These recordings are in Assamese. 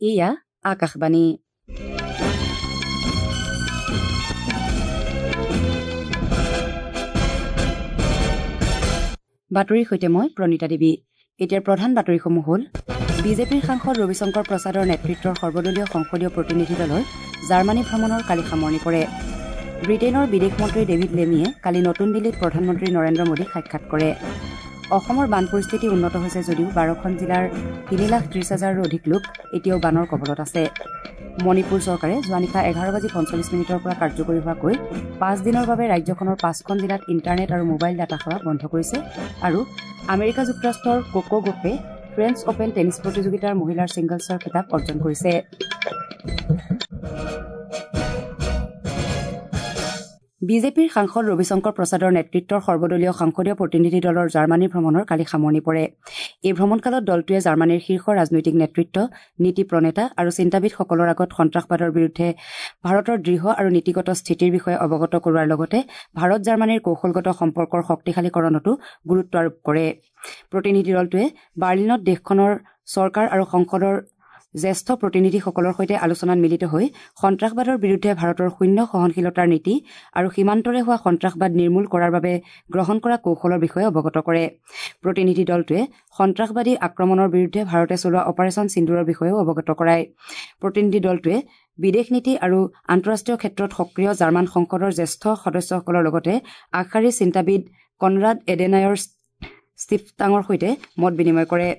এয়া আকাশবাণী। বাতৰিৰ সৈতে মই প্ৰণীতা দেৱী। এতিয়াৰ প্ৰধান বাতৰিসমূহ হ'ল: বিজেপিৰ সাংসদ ৰবিশংকৰ প্ৰসাদৰ নেতৃত্বৰ সৰ্বদলীয় সংসদীয় প্ৰতিনিধি দলৰ জাৰ্মানী ভ্ৰমণৰ কালি সামৰণি পৰে। ব্ৰিটেইনৰ বিদেশ মন্ত্ৰী ডেভিড লেমিয়ে কালি নতুন দিল্লীত প্ৰধানমন্ত্ৰী নৰেন্দ্ৰ মোদীক সাক্ষাৎ কৰে। অসমৰ বান পৰিস্থিতি উন্নত হৈছে যদিও 12খন জিলাৰ 3,30,000ৰো অধিক লোক এতিয়াও বানৰ কবলত আছে। মণিপুৰ চৰকাৰে যোৱা নিশা 11:45 পৰা কাৰ্যকৰী হোৱাকৈ 5 দিনৰ বাবে ৰাজ্যখনৰ 5খন জিলাত ইণ্টাৰনেট আৰু মোবাইল ডাটা সেৱা বন্ধ কৰিছে। আৰু আমেৰিকা যুক্তৰাষ্ট্ৰৰ কোকো গফে ফ্ৰেঞ্চ অপেন টেনিছ প্ৰতিযোগিতাৰ মহিলাৰ ছিংগলছৰ খিতাপ অৰ্জন কৰিছে। বিজেপিৰ সাংসদ ৰবিশংকৰ প্ৰসাদৰ নেতৃত্বৰ সৰ্বদলীয় সংসদীয় প্ৰতিনিধি দলৰ জাৰ্মানী ভ্ৰমণৰ কালি সামৰণি পৰে। এই ভ্ৰমণকালত দলটোৱে জাৰ্মানীৰ শীৰ্ষ ৰাজনৈতিক নেতৃত্ব, নীতি প্ৰণেতা আৰু চিন্তাবিদসকলৰ আগত সন্ত্ৰাসবাদৰ বিৰুদ্ধে ভাৰতৰ দৃঢ় আৰু নীতিগত স্থিতিৰ বিষয়ে অৱগত কৰোৱাৰ লগতে ভাৰত জাৰ্মানীৰ কৌশলগত সম্পৰ্কৰ শক্তিশালীকৰণতো গুৰুত্ব আৰোপ কৰে। প্ৰতিনিধি দলটোৱে বাৰ্লিনত দেশখনৰ চৰকাৰ আৰু সংসদৰ জ্যেষ্ঠ প্ৰতিনিধিসকলৰ সৈতে আলোচনাত মিলিত হৈ সন্ত্ৰাসবাদৰ বিৰুদ্ধে ভাৰতৰ শূন্য সহনশীলতাৰ নীতি আৰু সীমান্তৰে হোৱা সন্ত্ৰাসবাদ নিৰ্মূল কৰাৰ বাবে গ্ৰহণ কৰা কৌশলৰ বিষয়ে অৱগত কৰে। প্ৰতিনিধি দলটোৱে সন্ত্ৰাসবাদী আক্ৰমণৰ বিৰুদ্ধে ভাৰতে চলোৱা অপাৰেচন সিন্দুৰৰ বিষয়েও অৱগত কৰায়। প্ৰতিনিধি দলটোৱে বিদেশ নীতি আৰু আন্তঃৰাষ্ট্ৰীয় ক্ষেত্ৰত সক্ৰিয় জাৰ্মান সংসদৰ জ্যেষ্ঠ সদস্যসকলৰ লগতে আগশাৰীৰ চিন্তাবিদ কনৰাড এডেনায়ৰ ষ্টিফটাঙৰ সৈতে মত বিনিময় কৰে।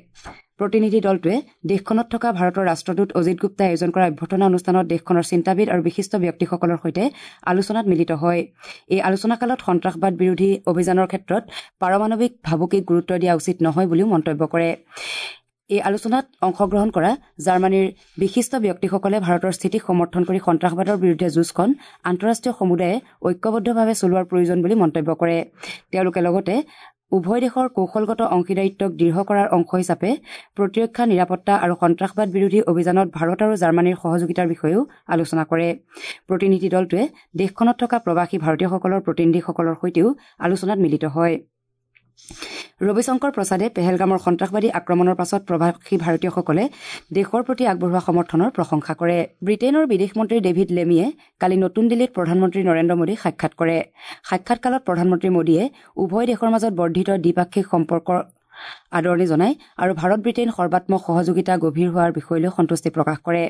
প্ৰতিনিধি দলটোৱে দেশখনত থকা ভাৰতৰ ৰাষ্ট্ৰদূত অজিত গুপ্তাই আয়োজন কৰা অভ্যৰ্থনা অনুষ্ঠানত দেশখনৰ চিন্তাবিদ আৰু বিশিষ্ট ব্যক্তিসকলৰ সৈতে আলোচনাত মিলিত হয়। এই আলোচনাকালত সন্ত্ৰাসবাদ বিৰোধী অভিযানৰ ক্ষেত্ৰত পাৰমাণৱিক ভাবুকিক গুৰুত্ব দিয়া উচিত নহয় বুলিও মন্তব্য কৰে। এই আলোচনাত অংশগ্ৰহণ কৰা জাৰ্মানীৰ বিশিষ্ট ব্যক্তিসকলে ভাৰতৰ স্থিতিক সমৰ্থন কৰি সন্ত্ৰাসবাদৰ বিৰুদ্ধে যুঁজখন আন্তঃৰাষ্ট্ৰীয় সমুদায়ে ঐক্যবদ্ধভাৱে চলোৱাৰ প্ৰয়োজন বুলি মন্তব্য কৰে। তেওঁলোকে লগতে উভয় দেশৰ কৌশলগত অংশীদাৰিত্বক দৃঢ় কৰাৰ অংশ হিচাপে প্ৰতিৰক্ষা, নিৰাপত্তা আৰু সন্ত্ৰাসবাদ বিৰোধী অভিযানত ভাৰত আৰু জাৰ্মানীৰ সহযোগিতাৰ বিষয়েও আলোচনা কৰে। প্ৰতিনিধি দলটোৱে দেশখনত থকা প্ৰৱাসী ভাৰতীয়সকলৰ প্ৰতিনিধিসকলৰ সৈতেও আলোচনাত মিলিত হয়। ৰবিশংকৰ প্ৰসাদে পেহেলগামৰ সন্ত্ৰাসবাদী আক্ৰমণৰ পাছত প্ৰৱাসী ভাৰতীয়সকলে দেশৰ প্ৰতি আগবঢ়োৱা সমৰ্থনৰ প্ৰশংসা কৰে। ব্ৰিটেইনৰ বিদেশ মন্ত্ৰী ডেভিড লেমিয়ে কালি নতুন দিল্লীত প্ৰধানমন্ত্ৰী নৰেন্দ্ৰ মোদীক সাক্ষাৎ কৰে। সাক্ষাৎকালত প্ৰধানমন্ত্ৰী মোদীয়ে উভয় দেশৰ মাজত বৰ্ধিত দ্বিপাক্ষিক সম্পৰ্কৰ আদৰণি জনায় আৰু ভাৰত ব্ৰিটেইন সৰ্বাত্মক সহযোগিতা গভীৰ হোৱাৰ বিষয়লৈ সন্তুষ্টি প্ৰকাশ কৰে।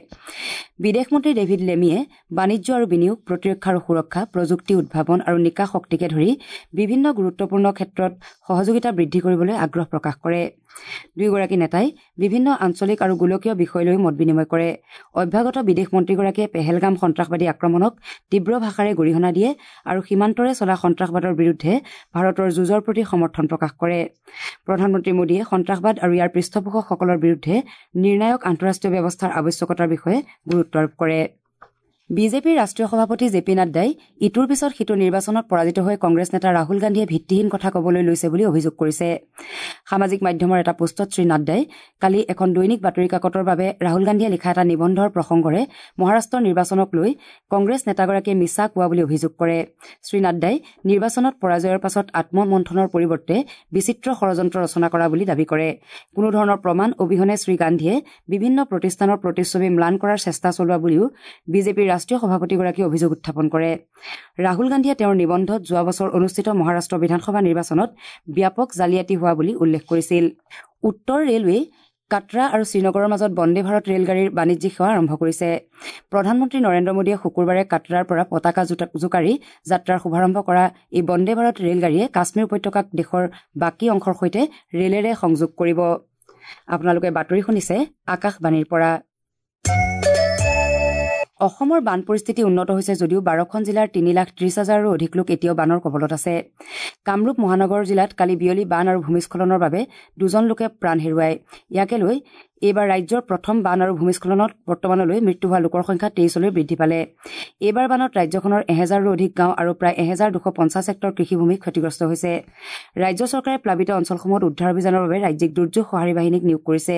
বিদেশ মন্ত্ৰী ডেভিড লেমিয়ে বাণিজ্য আৰু বিনিয়োগ, প্ৰতিৰক্ষা আৰু সুৰক্ষা, প্ৰযুক্তি, উদ্ভাৱন আৰু নিকা শক্তিকে ধৰি বিভিন্ন গুৰুত্বপূৰ্ণ ক্ষেত্ৰত সহযোগিতা বৃদ্ধি কৰিবলৈ আগ্ৰহ প্ৰকাশ কৰে। দুয়োগৰাকী নেতাই বিভিন্ন আঞ্চলিক আৰু গোলকীয় বিষয় লৈও মত বিনিময় কৰে। অভ্যাগত বিদেশ মন্ত্ৰীগৰাকীয়ে পেহেলগাম সন্ত্ৰাসবাদী আক্ৰমণক তীব্ৰ ভাষাৰে গৰিহণা দিয়ে আৰু সীমান্তৰে চলা সন্ত্ৰাসবাদৰ বিৰুদ্ধে ভাৰতৰ যুঁজৰ প্ৰতি সমৰ্থন প্ৰকাশ কৰে। প্ৰধানমন্ত্ৰী মোদীয়ে সন্ত্ৰাসবাদ আৰু ইয়াৰ পৃষ্ঠপোষকসকলৰ বিৰুদ্ধে নিৰ্ণায়ক আন্তঃৰাষ্ট্ৰীয় ব্যৱস্থাৰ আৱশ্যকতাৰ বিষয়ে গুৰুত্ব আৰোপ কৰে। বিজেপিৰ ৰাষ্ট্ৰীয় সভাপতি জে পি নাড্ডাই ইটোৰ পিছত সিটো নিৰ্বাচনত পৰাজিত হৈ কংগ্ৰেছ নেতা ৰাহুল গান্ধীয়ে ভিত্তিহীন কথা ক'বলৈ লৈছে বুলি অভিযোগ কৰিছে। সামাজিক মাধ্যমৰ এটা পোষ্টত শ্ৰী নাড্ডাই কালি এখন দৈনিক বাতৰি কাকতৰ বাবে ৰাহুল গান্ধীয়ে লিখা এটা নিবন্ধৰ প্ৰসংগৰে মহাৰাষ্ট্ৰৰ নিৰ্বাচনক লৈ কংগ্ৰেছ নেতাগৰাকীয়ে মিছা কোৱা বুলি অভিযোগ কৰে। শ্ৰী নাড্ডাই নিৰ্বাচনত পৰাজয়ৰ পাছত আত্মমন্থনৰ পৰিৱৰ্তে বিচিত্ৰ ষড়যন্ত্ৰ ৰচনা কৰা বুলি দাবী কৰে। কোনো ধৰণৰ প্ৰমাণ অবিহনে শ্ৰী গান্ধীয়ে বিভিন্ন প্ৰতিষ্ঠানৰ প্ৰতিচ্ছবি ম্লান কৰাৰ চেষ্টা চলোৱা বুলিও বিজেপিৰ ৰাষ্ট্ৰীয় সভাপতিগৰাকীয়ে অভিযোগ উত্থাপন কৰে। ৰাহুল গান্ধীয়ে তেওঁৰ নিবন্ধত যোৱা বছৰ অনুষ্ঠিত মহাৰাষ্ট্ৰ বিধানসভা নিৰ্বাচনত ব্যাপক জালিয়াতি হোৱা বুলি উল্লেখ কৰিছিল। উত্তৰ ৰেলৱেই কাটৰা আৰু শ্ৰীনগৰৰ মাজত বন্দে ভাৰত ৰেলগাড়ীৰ বাণিজ্যিক সেৱা আৰম্ভ কৰিছে। প্ৰধানমন্ত্ৰী নৰেন্দ্ৰ মোদীয়ে শুকুৰবাৰে কাটৰাৰ পৰা পতাকা জোকাৰি যাত্ৰাৰ শুভাৰম্ভ কৰা এই বন্দে ভাৰত ৰেলগাড়ীয়ে কাশ্মীৰ উপত্যকাক দেশৰ বাকী অংশৰ সৈতে ৰেলেৰে সংযোগ কৰিব। আপোনালোকে বাতৰি শুনিছে আকাশবাণীৰ পৰা। অসমৰ বান পৰিস্থিতি উন্নত হৈছে যদিও 12খন জিলাৰ 3,30,000ৰো অধিক লোক এতিয়াও বানৰ কবলত আছে। কামৰূপ মহানগৰ জিলাত কালি বিয়লি বান আৰু ভূমিস্খলনৰ বাবে 2জন লোকে প্ৰাণ হেৰুৱায়। ইয়াকে লৈ এইবাৰ ৰাজ্যৰ প্ৰথম বান আৰু ভূমিস্খলনত বৰ্তমানলৈ মৃত্যু হোৱা লোকৰ সংখ্যা 23লৈ বৃদ্ধি পালে। এইবাৰ বানত ৰাজ্যখনৰ 1000ৰো অধিক গাঁও আৰু প্ৰায় 1250 হেক্টৰ কৃষিভূমি ক্ষতিগ্ৰস্ত হৈছে। ৰাজ্য চৰকাৰে প্লাবিত অঞ্চলসমূহত উদ্ধাৰ অভিযানৰ বাবে ৰাজ্যিক দুৰ্যোগ সঁহাৰি বাহিনীক নিয়োগ কৰিছে।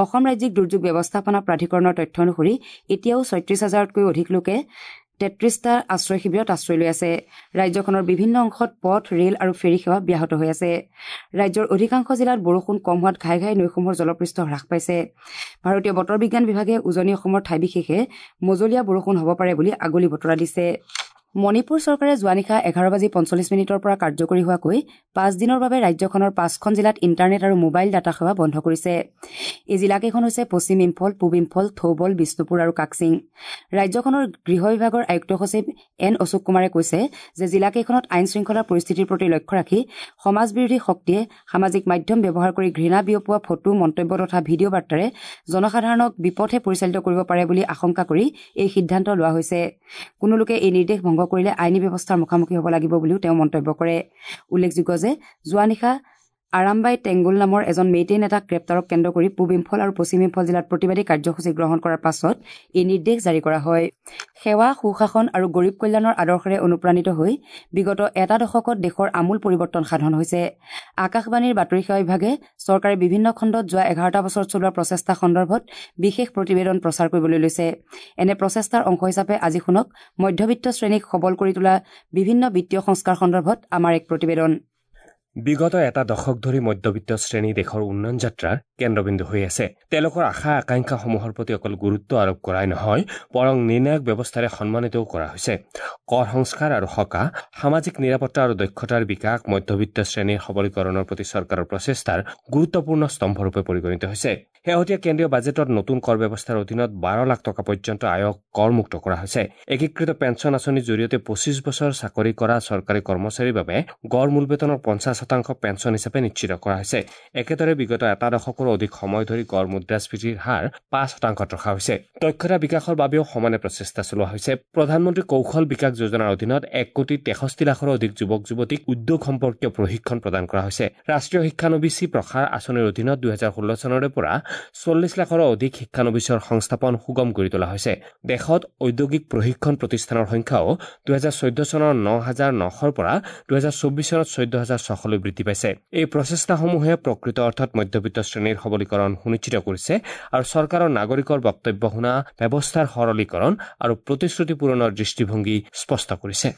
অসম ৰাজ্যিক দুৰ্যোগ ব্যৱস্থাপনা প্ৰাধিকৰণৰ তথ্য অনুসৰি এতিয়াও 36,000তকৈও অধিক লোকে 33টা আশ্ৰয় শিবিৰত আশ্ৰয় লৈ আছে। ৰাজ্যখনৰ বিভিন্ন অংশত পথ, ৰেল আৰু ফেৰী সেৱা ব্যাহত হৈ আছে। ৰাজ্যৰ অধিকাংশ জিলাত বৰষুণ কম হোৱাত ঘাই ঘাই নৈসমূহৰ জলপৃষ্ঠ হ্ৰাস পাইছে। ভাৰতীয় বতৰ বিজ্ঞান বিভাগে উজনি অসমৰ ঠাই বিশেষে মজলীয়া বৰষুণ হ'ব পাৰে বুলি আগলি বতৰা দিছে। মণিপুৰ চৰকাৰে যোৱা নিশা 11:45 পৰা কাৰ্যকৰী হোৱাকৈ 5 দিনৰ বাবে ৰাজ্যখনৰ 5খন জিলাত ইণ্টাৰনেট আৰু মোবাইল ডাটা সেৱা বন্ধ কৰিছে। এই জিলাকেইখন হৈছে পশ্চিম ইম্ফল, পূব ইম্ফল, থৌবল, বিষ্ণুপুৰ আৰু কাকচিং। ৰাজ্যখনৰ গৃহ বিভাগৰ আয়ুক্ত সচিব এন অশোক কুমাৰে কৈছে যে জিলাকেইখনত আইন শৃংখলাৰ পৰিস্থিতিৰ প্ৰতি লক্ষ্য ৰাখি সমাজ বিৰোধী শক্তিয়ে সামাজিক মাধ্যম ব্যৱহাৰ কৰি ঘৃণা বিয়পোৱা ফটো, মন্তব্য তথা ভিডিঅ' বাৰ্তাৰে জনসাধাৰণক বিপথে পৰিচালিত কৰিব পাৰে বুলি আশংকা কৰি এই সিদ্ধান্ত লোৱা হৈছে। কোনো লোকে এই নিৰ্দেশ ভংগ কৰিলে আইনী ব্যৱস্থাৰ মুখামুখি হ'ব লাগিব বুলিও তেওঁ মন্তব্য কৰে। উল্লেখযোগ্য যে যোৱা নিশা আৰামবাই টেংগুল নামৰ এজন মেইটেই নেতাক গ্ৰেপ্তাৰক কেন্দ্ৰ কৰি পূব ইম্ফল আৰু পশ্চিম ইম্ফল জিলাত প্ৰতিবাদী কাৰ্যসূচী গ্ৰহণ কৰাৰ পাছত এই নিৰ্দেশ জাৰি কৰা হয়। সেৱা, সুশাসন আৰু গৰীব কল্যাণৰ আদৰ্শেৰে অনুপ্ৰাণিত হৈ বিগত এটা দশকত দেশৰ আমূল পৰিৱৰ্তন সাধন হৈছে। আকাশবাণীৰ বাতৰি সেৱা বিভাগে চৰকাৰে বিভিন্ন খণ্ডত যোৱা 11টা বছৰত চলোৱা প্ৰচেষ্টা সন্দৰ্ভত বিশেষ প্ৰতিবেদন প্ৰচাৰ কৰিবলৈ লৈছে। এনে প্ৰচেষ্টাৰ অংশ হিচাপে আজি শুনক মধ্যবিত্ত শ্ৰেণীক সবল কৰি তোলা বিভিন্ন বিত্তীয় সংস্কাৰ সন্দৰ্ভত আমাৰ এক প্ৰতিবেদন। বিগত এটা দশক ধৰি মধ্যবিত্ত শ্ৰেণী দেশৰ উন্নয়ন যাত্ৰাৰ কেন্দ্ৰবিন্দু হৈ আছে। তেওঁলোকৰ আশা আকাংক্ষাসমূহৰ প্ৰতি অকল গুৰুত্ব আৰোপ কৰাই নহয়, বৰং নিৰ্ণায়ক ব্যৱস্থাৰে সন্মানিতও কৰা হৈছে। কৰ সংস্কাৰ আৰু সকাহ, সামাজিক নিৰাপত্তা আৰু দক্ষতাৰ বিকাশ মধ্যবিত্ত শ্ৰেণীৰ সবলীকৰণৰ প্ৰতি চৰকাৰৰ প্ৰচেষ্টাৰ গুৰুত্বপূৰ্ণ স্তম্ভৰূপে পৰিগণিত হৈছে। শেহতীয়া কেন্দ্ৰীয় বাজেটত নতুন কৰ ব্যৱস্থাৰ অধীনত 12 লাখ টকা পৰ্যন্ত আয়ক কৰমুক্ত কৰা হৈছে। একীকৃত পেঞ্চন আঁচনিৰ জৰিয়তে 25 বছৰ চাকৰি কৰা চৰকাৰী কৰ্মচাৰীৰ বাবে গড় মূল বেতনৰ 50% পেঞ্চন হিচাপে নিশ্চিত কৰা হৈছে। একেদৰে বিগত এটা দশকৰো অধিক সময় ধৰি গড় মুদ্ৰাস্ফীতিৰ হাৰ 5% ৰখা হৈছে। দক্ষতা বিকাশৰ বাবেও সমানে প্ৰচেষ্টা চলোৱা হৈছে। প্ৰধানমন্ত্ৰী কৌশল বিকাশ যোজনাৰ অধীনত 1,63,00,000ৰো অধিক যুৱক যুৱতীক উদ্যোগ সম্পৰ্কীয় প্ৰশিক্ষণ প্ৰদান কৰা হৈছে। ৰাষ্ট্ৰীয় শিক্ষানবিচি প্ৰসাৰ আঁচনিৰ অধীনত 2016 চনৰে পৰা 40 লাখৰো অধিক শিক্ষানবিচৰ সংস্থাপন সুগম কৰি তোলা হৈছে। দেশত ঔদ্যোগিক প্ৰশিক্ষণ প্ৰতিষ্ঠানৰ সংখ্যাও 2014 চনৰ 9,900ৰ পৰা 2024 চনত 14,600লৈ বৃদ্ধি পাইছে। এই প্ৰচেষ্টাসমূহে প্ৰকৃত অৰ্থত মধ্যবিত্ত শ্ৰেণীৰ সবলীকৰণ সুনিশ্চিত কৰিছে আৰু চৰকাৰৰ নাগৰিকৰ বক্তব্য শুনা ব্যৱস্থাৰ সৰলীকৰণ আৰু প্ৰতিশ্ৰুতি পূৰণৰ দৃষ্টিভংগী স্পষ্ট কৰিছে।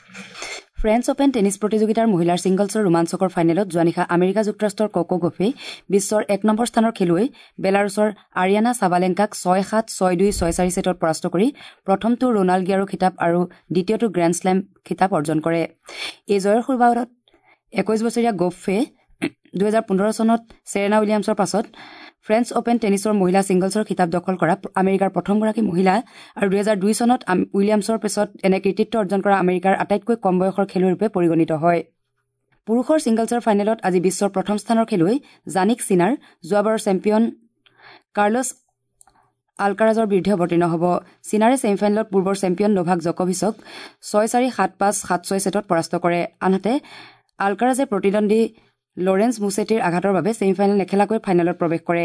ফ্ৰেঞ্চ অপেন টেনিছ প্ৰতিযোগিতাৰ মহিলাৰ ছিংগলছৰ ৰোমাঞ্চকৰ ফাইনেলত যোৱা নিশা আমেৰিকা যুক্তৰাষ্ট্ৰৰ ককো গফে বিশ্বৰ 1 নম্বৰ স্থানৰ খেলুৱৈ বেলাৰুছৰ আৰিয়ানা চাবালেংকাক 6-7, 6-2, 6-4 ছেটত পৰাস্ত কৰি প্ৰথমটো ৰোনাল্ড গিয়াৰো খিতাপ আৰু দ্বিতীয়টো গ্ৰেণ্ড শ্লেম খিতাপ অৰ্জন কৰে। এই জয়ৰ সুবাদত 21 বছৰীয়া গফে 2015 চনত চেৰেনা উইলিয়ামছৰ পাছত ফ্ৰেঞ্চ অপেন টেনিছৰ মহিলা ছিংগলছৰ খিতাপ দখল কৰা আমেৰিকাৰ প্ৰথমগৰাকী মহিলা আৰু 2002 চনত উইলিয়ামছৰ পিছত এনে কৃতিত্ব অৰ্জন কৰা আমেৰিকাৰ আটাইতকৈ কম বয়সৰ খেলুৱৈৰূপে পৰিগণিত হয়। পুৰুষৰ ছিংগলছৰ ফাইনেলত আজি বিশ্বৰ প্ৰথম স্থানৰ খেলুৱৈ জানিক চিনাৰ যোৱাবাৰৰ চেম্পিয়ন কাৰ্লছ আলকাৰাজৰ বিৰুদ্ধে অৱতীৰ্ণ হ'ব। চিনাৰে ছেমিফাইনেলত পূৰ্বৰ চেম্পিয়ন নোভাক জকভিচক 6-4, 7-5, 7-6 ছেটত পৰাস্ত কৰে। আনহাতে আলকাৰাজে প্ৰতিদ্বন্দ্বী লৰেন্স মুছেটিৰ আঘাতৰ বাবে ছেমিফাইনেল নেখেলাকৈ ফাইনেলত প্ৰৱেশ কৰে।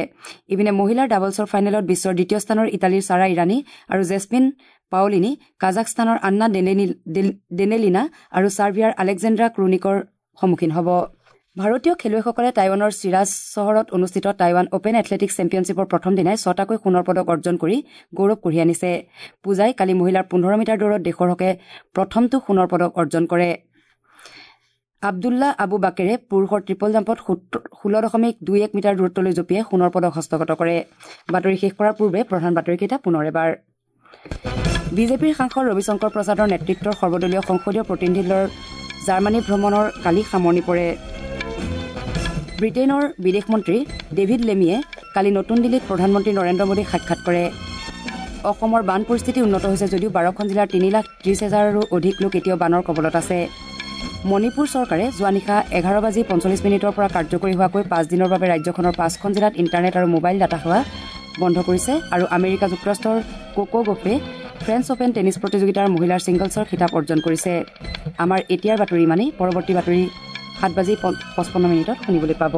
ইপিনে মহিলাৰ ডাবলছৰ ফাইনেলত বিশ্বৰ দ্বিতীয় স্থানৰ ইটালীৰ ছাৰা ইৰাণী আৰু জেছমিন পাওলিনী কাজাখস্তানৰ আন্না ডেনেলিনা আৰু ছাৰ্বিয়াৰ আলেকজেণ্ড্ৰা ক্ৰুনিকৰ সন্মুখীন হ'ব। ভাৰতীয় খেলুৱৈসকলে টাইৱানৰ চিৰাজ চহৰত অনুষ্ঠিত টাইৱান অপেন এথলেটিকছ চেম্পিয়নশ্বিপৰ প্ৰথম দিনাই 6টাকৈ সোণৰ পদক অৰ্জন কৰি গৌৰৱ কঢ়িয়াই আনিছে। পূজাই কালি মহিলাৰ 15 মিটাৰ দৌৰত দেশৰ হকে প্ৰথমটো সোণৰ পদক অৰ্জন কৰে। আব্দুল্লাহ আবু বাকেৰে পুৰুষৰ ট্ৰিপল জাম্পত 16.21 মিটাৰ দূৰত্বলৈ জঁপিয়াই সোণৰ পদক হস্তগত কৰে। বাতৰি শেষ কৰাৰ পূৰ্বে প্ৰধান বাতৰিকেইটা পুনৰ এবাৰ। বিজেপিৰ সাংসদ ৰবিশংকৰ প্ৰসাদৰ নেতৃত্বৰ সৰ্বদলীয় সংসদীয় প্ৰতিনিধি দলৰ জাৰ্মানী ভ্ৰমণৰ কালি সামৰণি পৰে। ব্ৰিটেইনৰ বিদেশ মন্ত্ৰী ডেভিড লেমিয়ে কালি নতুন দিল্লীত প্ৰধানমন্ত্ৰী নৰেন্দ্ৰ মোদীক সাক্ষাৎ কৰে। অসমৰ বান পৰিস্থিতি উন্নত হৈছে যদিও 12খন জিলাৰ 3,30,000ৰো অধিক লোক এতিয়াও বানৰ কবলত আছে। মণিপুৰ চৰকাৰে যোৱা নিশা 11:45 পৰা কাৰ্যকৰী হোৱাকৈ 5 দিনৰ বাবে ৰাজ্যখনৰ 5খন জিলাত ইণ্টাৰনেট আৰু মোবাইল ডাটা সেৱা বন্ধ কৰিছে। আৰু আমেৰিকা যুক্তৰাষ্ট্ৰৰ কোকো গফে ফ্ৰেঞ্চ অপেন টেনিছ প্ৰতিযোগিতাৰ মহিলাৰ ছিংগলছৰ খিতাপ অৰ্জন কৰিছে। আমাৰ এতিয়াৰ বাতৰি ইমানেই। পৰৱৰ্তী বাতৰি 7:55 শুনিবলৈ পাব।